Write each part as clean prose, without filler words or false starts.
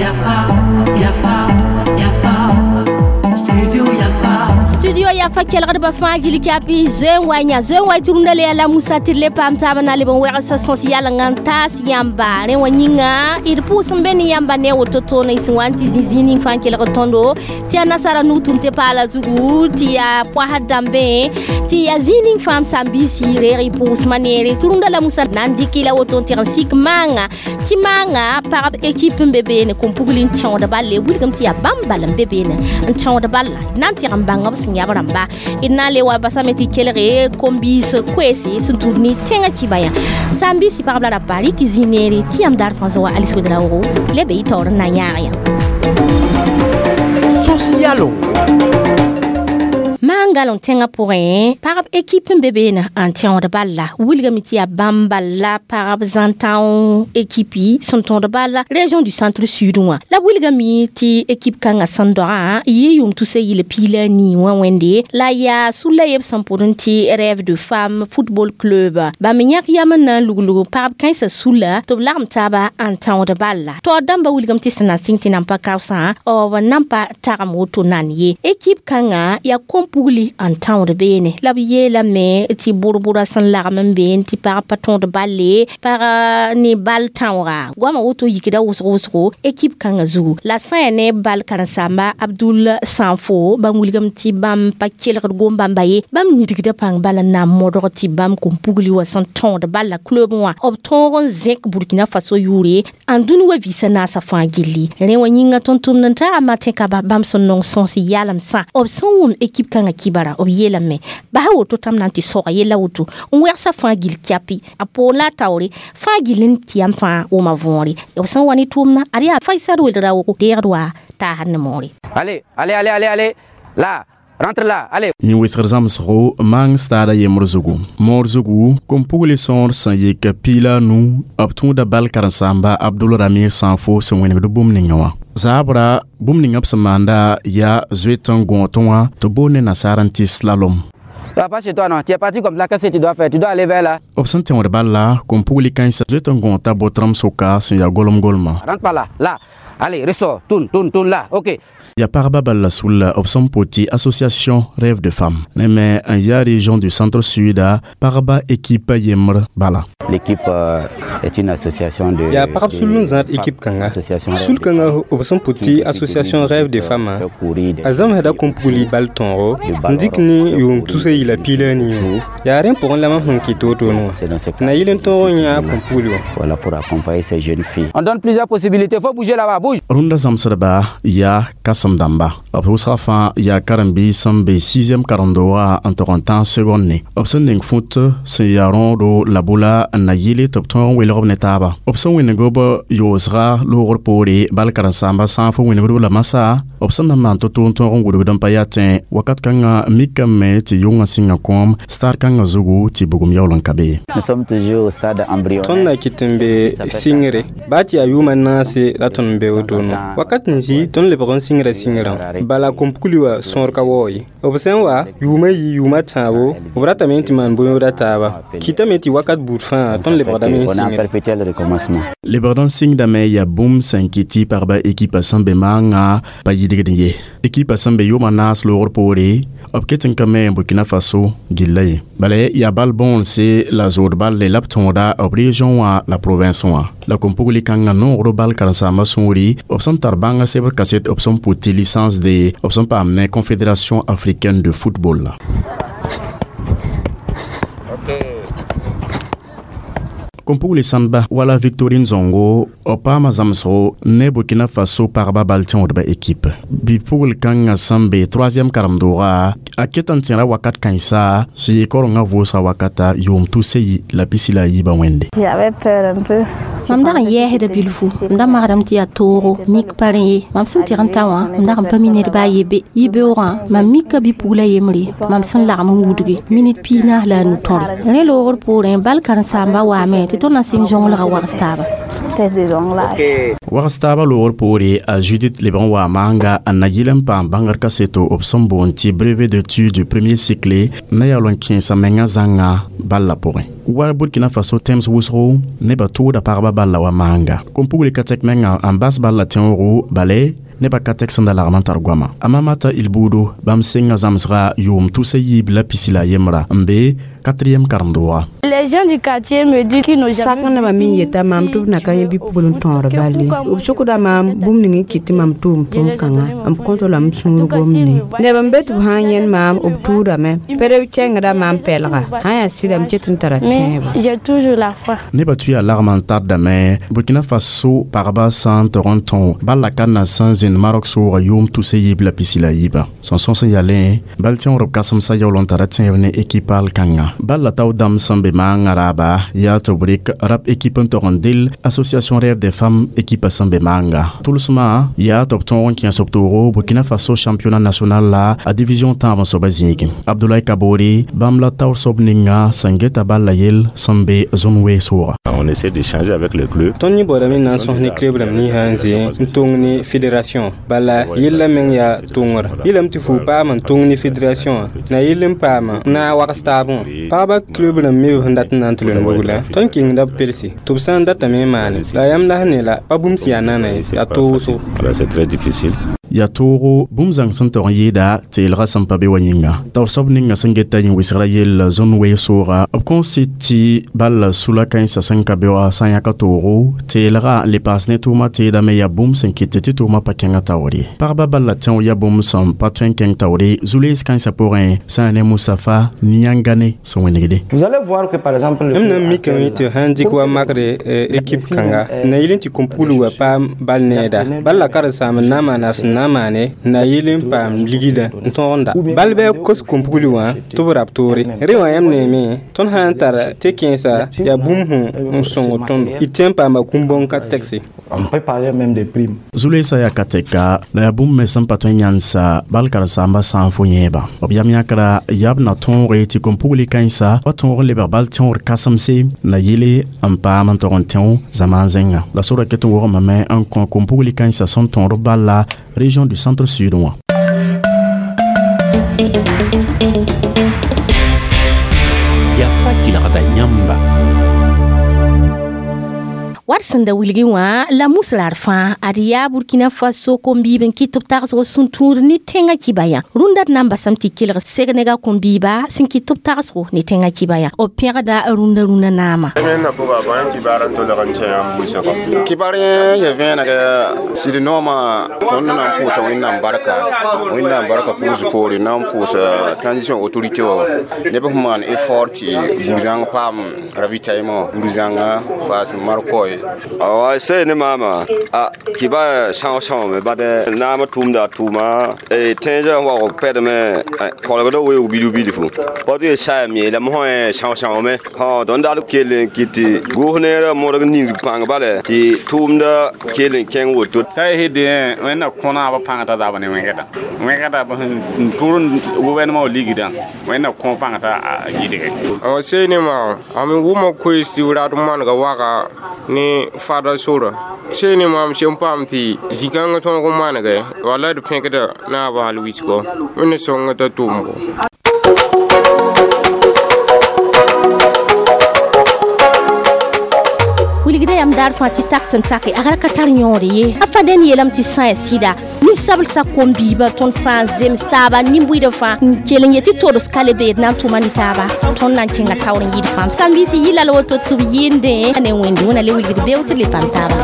Yafa, Yafa, Yafa, Studio Yafa. Studio Yafa kelgdbã fãa gil kapi zoe n wa yã zoe n wa tʋrũndã le yaa la Musa tɩ d le paam taabã na n leb n wɛgsa sõs yalengã n taas yãmba. Rẽ wã yĩnga d pʋʋs n be ne yãmba ne a woto toona y sẽn wa n tɩ zĩ zĩig ning fãa n kelgd tõndo, tɩ yaa nasara nug tʋm tɩ paala zugu, tɩ yaa poasd dãmbẽ, tɩ yaa zĩig ning fãa m sãn-biisi reeg y pʋʋsmã neere. Tʋrũndã la Musa na n dɩk la woto n tɩg n sik maanga, tɩ maanga pagb équipe n be beene kom-pugl n tẽod balle. Wilgem tɩ yaa bãmb bal n be beene n tẽod balla, d na n tɩg n bãng b sẽn yãb rãmba. D na n le wa basame tɩ kelge kom-biis koeese sẽn tũud ne tẽngã kiba yã. Sãn-biisi pagb la rapa rɩk zĩ neere tɩ yãmb daar fãa zoa Alice Ouedraogo le be y taoor n na n yãag yã. Sos yalo. Maan galẽ tẽngã pʋgẽ pagb équipe n be beene n tẽod balla. Wilgame tɩ yaa bãmb balla pagb zãn-tão équipe sẽn tõod balla région du centre sud wã. La wilgame tɩ équipe kãngã sẽn dogã yɩ yʋʋm tusa yɩl piig la nii wã wẽnde la yaa sulla yeb sẽn pʋd n tɩ Rêve de Femme Football Club. Bãmb yãk yam n na n luglg pagb kãensã sulla tɩ b lagem taaba n tãood balla. Taoor dãmbã wilgame tɩ sẽn na n sɩng tɩ nan pa kaoosã b nan pa tagem woto nan ye. Équipe kãngã yaa kom-pugli n tãood beene la b yeelame tɩ bʋr-bʋra sẽn lagem n been tɩ pag pa tõod balle, pag ne bal tãooga goamã woto yikda wʋsg wʋsgo équipe kãngã zugu. La sã yaa ne bal karen-saamba Abdul Sanfo, bãmb wilgame tɩ bãmb pa kelgd gom-bãmba ye, bãmb nidgda pãng bala n na n modg tɩ bãmb kom-pugli wã sẽn tõod balla club wã b tõog n zẽk Burkina Faso yʋʋre n dũni wa vɩɩsã naasã fãa gilli. Rẽ wã yĩnga tʋm-tʋmd n taga Martin Kaba bãmb sẽn nong sõs yalemsã b sẽn wʋm équipe kãngã kibara, b yeelame basa woto tãmb na n tɩ soga yella woto n wɛgsa fãa gil kɛpɩ a poor la a taoore fãa gill n tɩ yam fãa wʋma võore b sẽn wa ne tʋʋmdã ad yaa Faisal Ouedraogo deegd wa taasd ne moore. Allez, allez, allez, allez, allez. Là, rentre là, allez. Yẽ wesgr zãmsgo maang staada yembr zugu. Moor zugu kom-pugli sõor sẽn yik piig la a nu b tũuda bal karen-saamba Abdul Ramir Sanfo sẽn wẽnegd bũmb ninga wã. Zaabra bũmb ninga b sẽn maanda yaa zoet n gõot wã tɩ boond ne nasaar n tɩ slalom. Tu vas pas chez toi, non. Tu es parti comme ça, qu'est-ce que tu dois faire? Tu dois aller vers là. B sẽn tẽod balla kom-pugli kãensã zoet n gõota bot-rãmb sʋka sẽn yaa golem-golmã. Rentre par là, là. Allez, ressort, tourne, tourne, tourne là. Ok. Ya pagba bal la sulla b sẽn pʋ tɩ association Rêve de Femme ne me n yaa région du centre sud pagba équipe yembr bala. L'équipe est une association de yaa pagb sul n zãad équipe kãnga. Association Sul kãngã b sẽn pʋ tɩ association Rêve de Femme a zãmsda kom-pugli bal tõogo n dɩk ne yʋʋm tusa yɩla piig la a nii wã. Yaa rẽ pʋgẽ la mam sẽn kɩt wotone wã tɩ na yɩl n tõog n yã kom-pugli wã. Voilà, pour accompagner ces jeunes filles. On donne plusieurs possibilités. Faut bouger là-bas, bouge. Rũndã zãmsdba yaa kãsem dãmba. B wʋsga fãa yaa karen-biis sẽn be 6e karen-doogã n tog n tãag seconde ne. B sẽn ning fũt sẽn yaa rõodo la bʋla n na yɩle tɩ b tõog n welg b ne taaba. B sẽn wẽneg b yoosga loogr poore bal karen-saamba sã n fo wẽnegd b la masã b sẽn na n maan to-to n tõog n wudgd n pa yaa tẽ wakat kãngã mikame tɩ yʋngã sɩnga kõom stade kãngã zugu tɩ bugum yaool n ka be. Nous sommes toujours au stade embryonnaire. Tõnd na kɩt n be sɩngre baa tɩ yaa yʋʋmã naase la tõnd n be wotone wã. Wakat n zĩ tõnd lebg n sɩngra sɩngrã bala kom-pugli wã sõor ka waoo ye. B sẽn wa yʋʋmã yi yʋʋmã tãabo b ratame tɩ maan bõe-yooda taaba kɩtame tɩ wakat buud fãa tõnd lebgdame n On est en sɩngre. perpétuel recommencement. Lebgd n sɩngdame yaa bũmb sẽn kɩt tɩ pagba équipe sẽn be maangã pa yidgd ye. Équipe sẽn be yʋʋmã naas loogr poore b ket n ka me Burkina Faso gilla ye. Bala yaa bal bõonse la zood balle la b tõoda b région wã la province wã. La kom-pugli kãngã noogr bal karen-saambã sũuri b sẽn tar bãngã sebr kaset b sẽn pʋ tɩ licence de b sẽn paam ne Confédération africaine de football. Kom-pugli sãmba wala Victorine Zongo b paama zãmsgo ne Burkina Faso pagba bal tẽodba équipe. Bi-pugl kãngã sẽn be 3e karen-doogã a ket n tẽra wakat kãensa sẽn yɩ korengã vʋʋsga wakata yʋʋm tʋsa yi la pisi la a yiibã wẽnde. J'avais peur un peu. Mam dag n yɛɛsda bilfu m da magsdame tɩ yaa toogo mik pa rẽ ye mam sẽn tɩg n ta wã m dag n pa mi ned baa ye be yibeoogã mam mika bi-pugla yembre mam sẽn lagm n wudge minit 45 tõre rẽ loogr poorẽ bal karen-saamba waame tɩ tõnd na sɩng zõnglgã wags taaba. Wags taaba loogr poore a Judith leb n waa maanga n na yɩl n paam bãngr kaseto b sẽn boond tɩ brevet d'études du premier cycle na yaool n kẽesa menga zãnga balla pʋgẽ. Wa Burkina Faso tẽms wʋsgo nebã tʋʋda pagba balla wa maanga. Kom-pugli ka tɛk menga n bas balla tẽoogo bale nebã ka tɛk sẽn da lagm n tar goama. A Mamata Ilbudo bãmb senga zãmsga yʋʋm 321 n be 4e karem-doogã. Les gens du quartier me disent qu'ils n'ont Sak jamais nebã me yeta maam tɩ b na ka yẽ bi-pugl n tõod balle b sokda maam bũmb ning n kɩt tɩ mam tʋʋm tʋʋm-kãngã m kõto la m sũur gomne neb n be tɩ b sã n yẽnd maam b tʋʋdame pd b kẽngda maam pɛlga sã n yaa sɩda m ket n tara Mais tẽebã. j'ai toujours la foi. Nebã tʋ yaa lagm n tardame Burkina Faso pagba sã n tog n tõo balla ka na sẽn zĩnd Marok soogã yʋʋm 324. Sẽn sõs n yalẽ bal tẽoorb kãsemsã yaool n tara tẽeb ne ekipa al kãnga. Balla tao dãmb sẽn be maangã raaba yaa tɩ b rɩk rap ekip n tog n del Association Rêve des Femmes ekipa sẽn be maanga. Tʋlsmã yaa tɩ b tõog n kẽes b toogo Burkina Faso championnat national la a division tãab n soabã zĩigẽ. Abdoulaye Kabore bãmb la taoor soab ninga sẽn geta balla yell sẽn be zone soogã. On essaie d'échanger avec le club. Tõnd yẽ baoodame n na n sõs ne club rãmb ninsã n zĩ n tong ne fédération bala yella meng yaa tongr yelame tɩ fuu paam n tong ne fédération wã na yell n paama n na n wags taabẽ wã pagba club rãmb me b sẽn dat n na n tɩ loe bugla tõnd kengda b pelse tɩ b sã n datame n maane la yãmb la sẽn ne la pa bũmb sẽn yaa nana ye yaa toosgo. Voilà, c'est très difficile. Yaa toogo bũmb zãng sẽn tog n yɩɩda teelgã sẽn pa be wa yĩnga. Taoor soab ninga sẽn geta yẽ wɩsgrã yell zõn wee sooga b kõs sɩd tɩ balla sula kãensã sẽn ka be wã sã n yãka toogo teelgã n le paas ne tʋʋmã teedame yaa bũmb sẽn kɩt tɩ tʋʋmã pa kẽngã taoor ye. Pagba balla tẽo yaa bũmb sẽn pa tõe n kẽng taoore zu-lees kãensã pʋgẽ sã n ne Moustapha Niangane sẽn wẽnegde. Vous allez voir que par exemple le M na n mikame tɩ sã n dɩk wa makre ekip kãnga na yɩl n tɩ kom-pugl wa paam bal needa bal la karen-saam n na n maana sẽn na n maane na yɩl n paam ligdã n tõog n da bal bɩ kos kom-pugl wã tɩ b rab toore rẽ wã yãmb neeme tõnd sã n tar tɩ kẽesa yaa bũmb sẽn n sõng tõndo d tõe n paama kũm-bõn ka tɛgse. On peut parler même de primes. Zu-leesã yaa ka tɛka la yaa bũmb me sẽn pa tõe n yãndsa bal karen-saambã sã n fo yẽeba. B yam yãkra yaa b na tõoge tɩ kom-pugli kãensa wa tõog n lebg bal tẽoor kãsemse na yɩle n paam n tog n tẽo zamaan zẽnga. La sora ket n wogmame n kõ kom-pugli kãensã sẽn tõod b balla région du centre sud wã. Yafa kelgda yãmba. Wat sẽn da wilgẽ wã la muslar fãa ad yaa Burkina Faso kom-biib n kɩt tɩ b tagsg sũ-tũud ne tẽngã kiba yã. Rũndã d na n basame tɩ kelg segnega kom-biiba sẽn kɩt tɩ b tagsgo ne tẽngã kiba yã. B pẽgda rũndã rũnã naama. Kibar yẽ vẽeneg sɩd noomã tõnd na n pʋʋsa Wẽnnaam barka Wẽnnaam barka pʋʋs poore na n pʋʋs transition autorité wã neb sẽn maan effort tɩ burзãng paam ravitaillement burзãngã paas markoy. Awa sai ni mama a kiba são são me bad naama tʋʋmda a tʋʋma tẽnsã wag pɛdme kolgda weoog bilf bilfu pa tɩ saam yeelame sã são são me tõnd dat kell n kɩt tɩ goos neerã modg ning pãng bala tɩ tʋʋmda kell n kẽng woto. Sã y dẽ wẽnna kõnaabã pãng t'a zab ne wẽgda wẽgda b sẽn tʋr gʋvɛrnema wã ligdã wẽnna kõ pãng t'a gɩdge. Sey ne maa a me wʋma koees tɩ b rat manega waga ne fada sora sey ne maam sẽn paam tɩ zĩ-kãngã tõog n manege wala d pẽkda naabã hal wisgo wẽnna sõnga t'a tʋʋmgo. Wilgda yam daar fãa tɩ tak tɩ n take a ka tar yõore ye a fã dẽn yeelame tɩ sã n yaa sɩda nin-sablsã kom-biibã tõnd sã n zems taaba nin-buɩdã fãa n kell n yetɩ tods ka le beed na n tʋma ne taaba tõnd na n kẽnga taoor n yɩɩd fãa m sãn-biis yɩ la la woto tɩ b yɩɩndẽ ne wẽnde wẽna le wilgd beoog tɩ d le pãn taaba.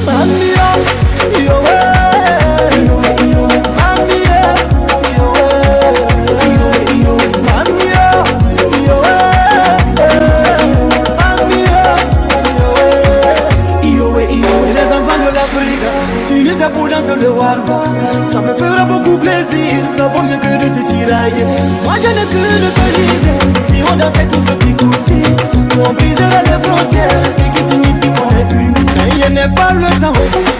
Mami, yo, yo, n'est qu'une seule idée. Si on dansait tous le bikutsi, nous on briserait les frontières, ce qui signifie qu'on est unis. Mais il n'est pas le temps.